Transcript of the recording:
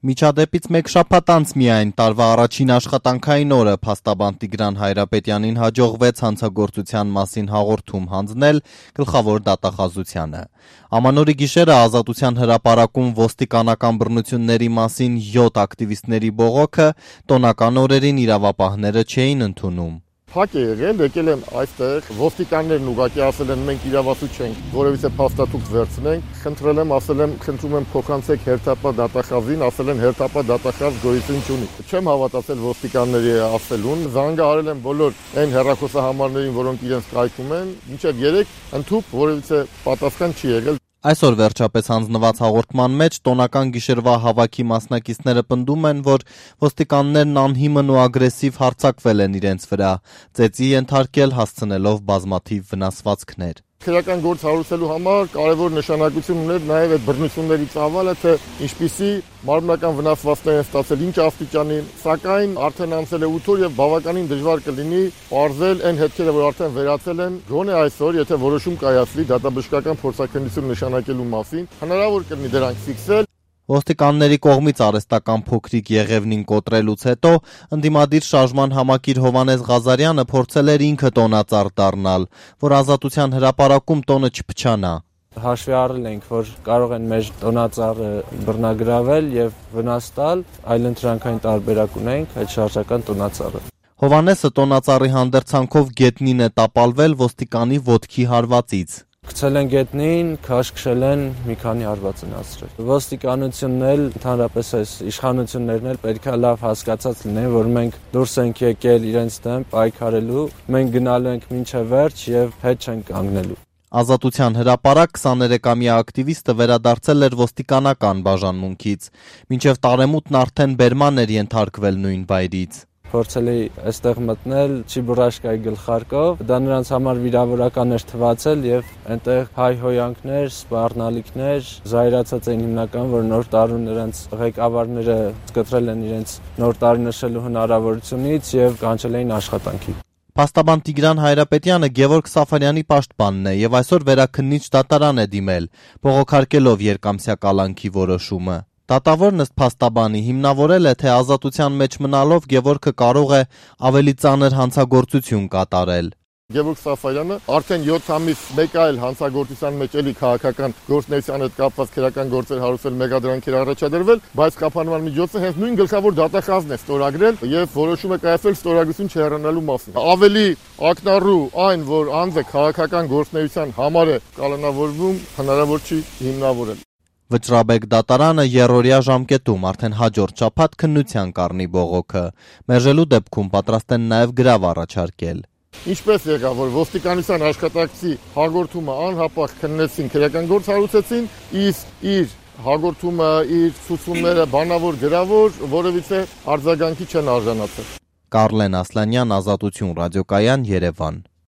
Միջադեպից մեկ շաբաթ անց միայն տարվա առաջին աշխատանքային օրը փաստաբան Տիգրան Հայրապետյանին հաջողվեց հանցագործության մասին հաղորդում հանձնել գլխավոր դատախազությանը։ Ամանորի գիշերը Ազատության հրապարակում ոստիկանական բռնությունների մասին 7 ակտիվիստների բողոքը տոնական օրերին իրավապահները չէին ընդունում։ Փակ է եղել, եկել եմ այստեղ, ոստիկաններն ուղղակի ասել են մենք իրավասու չենք, որևիցե փաստաթուղթ վերցնենք, խնդրել եմ, ասել եմ, խնդրում եմ փոխանցեք հերթապահ դատախազին, ասել են հերթապահ դատախազ գոյություն չունի։ Չեմ հավատացել ոստիկանների ասելուն, զանգահարել եմ բոլոր այն հեռախոսահամարներին, որոնք իրենց կայքում են, մինչև 3 ընդհուպ որևիցե պատասխան չի եղել։ Այսօր վերջապես հանձնված հաղորդման մեջ տոնական գիշերվա հավաքի մասնակիցները պնդում են, որ ոստիկաններն անհիմն ու ագրեսիվ հարձակվել են իրենց վրա, ծեծի ենթարկել հասցնելով բազմաթիվ վնասվածքներ։ Քրեական գործ հարուցելու համար կարևոր նշանակություն ուներ նաև այդ բռնությունների ծավալը, թե ինչպիսի մարմնական վնասվածքներ են ստացել, ինչ աստիճանի, սակայն արդեն անցել է 8 օր եւ բավականին դժվար կլինի պարզել այն հետքերը, որ արդեն վերացել են, գոնե այսօր, եթե որոշում կայացվի դատաբժշկական փորձաքննություն նշանակելու մասին, հնարավոր կլինի դրանք ֆիքսել։ Ոստիկանների կողմից արհեստական փոքրիկ Եղևնին կոտրելուց հետո ընդդիմադիր շարժման համակիր Հովհաննես Ղազարյանը փորձել էր ինքը տոնածառ դառնալ, որ Ազատության հրապարակում տոնը չփչանա։ Հաշվի առել ենք, որ կարող են մեր տոնածառը բռնագրավել եւ վնաս տալ, այլընտրանքային տարբերակ ունենք այդ շարժական տոնածառը։ Հովհաննեսը տոնածառի հանդերձանքով գետնին է տապալվել ոստիկանի ոտքի հարվածից։ Գցել են գետնին, քաշքշել են, մի քանի հարված են ասրել։ Ոստիկանությունն էլ, ընդհանրապես այս իշխանություններն էլ պետք է լավ հասկացած լինեն, որ մենք դուրս ենք եկել իրենց դեմ պայքարելու, մենք գնալու ենք մինչև վերջ եւ հետ չենք կանգնելու։ Ազատության հրապարակ 23-ամյա ակտիվիստը վերադարձել էր ոստիկանական բաժանմունքից, մինչև տարեմուտն արդեն բերման էր ենթարկվել նույն վայրից։ Փորձել էի այստեղ մտնել Չիբուրաշկայի գլխարկով, դա նրանց համար վիրավորական էր թվացել եւ այնտեղ հայհոյանքներ, սպառնալիքներ, զայրացած էին հիմնական, որ նոր տարուն նրանց ղեկավարները սկտրել են իրենց նոր տարի նշելու հնարավորությունից եւ կանչել էին աշխատանքի։ Փաստաբան Տիգրան Հայրապետյանը Գևորգ Սաֆարյանի պաշտպանն է եւ այսօր վերաքննիչ դատարան է դիմել, բողոքարկելով երկամսյա կալանքի որոշումը։ Դատավորն ըստ փաստաբանի հիմնավորել է, թե Ազատության մեջ մնալով Գևորգը կարող է ավելի ծանր հանցագործություն կատարել։ Գևորգ Սաֆարյանը արդեն 7 ամիս մեկ այլ հանցագործության մեջ էլի քաղաքական գործունեության հետ կապված քրեական գործեր հարուցել, մեղադրանքեր առաջադրվել, բայց կապանման միջոցը հենց նույն գլխավոր դատախազն է ստորագրել եւ որոշում է կայացվել ստորագրություն չհեռանալու մասին։ Ավելի ակնառու այն, որ անձը քաղաքական գործունեության համար է կալանավորվում, հնարավոր չի հիմնավորել։ Վճռաբեկ դատարանը երրորդյա ժամկետում արդեն հաջորդ շաբաթ քննության կառնի բողոքը։ Մերժելու դեպքում պատրաստ են նաև գրավ առաջարկել։ Ինչպես եղավ, որ ոստիկանության աշխատակցի հաղորդումը անհապաղ քննեցին, քրեական գործ հարուցեցին, իսկ իր հաղորդումը, իր ցուցումները բանավոր գրավոր որևիցե արձագանքի չեն արժանացել։ Կարլեն Ասլանյան, Ազատություն ռադիոկայան, Երևան։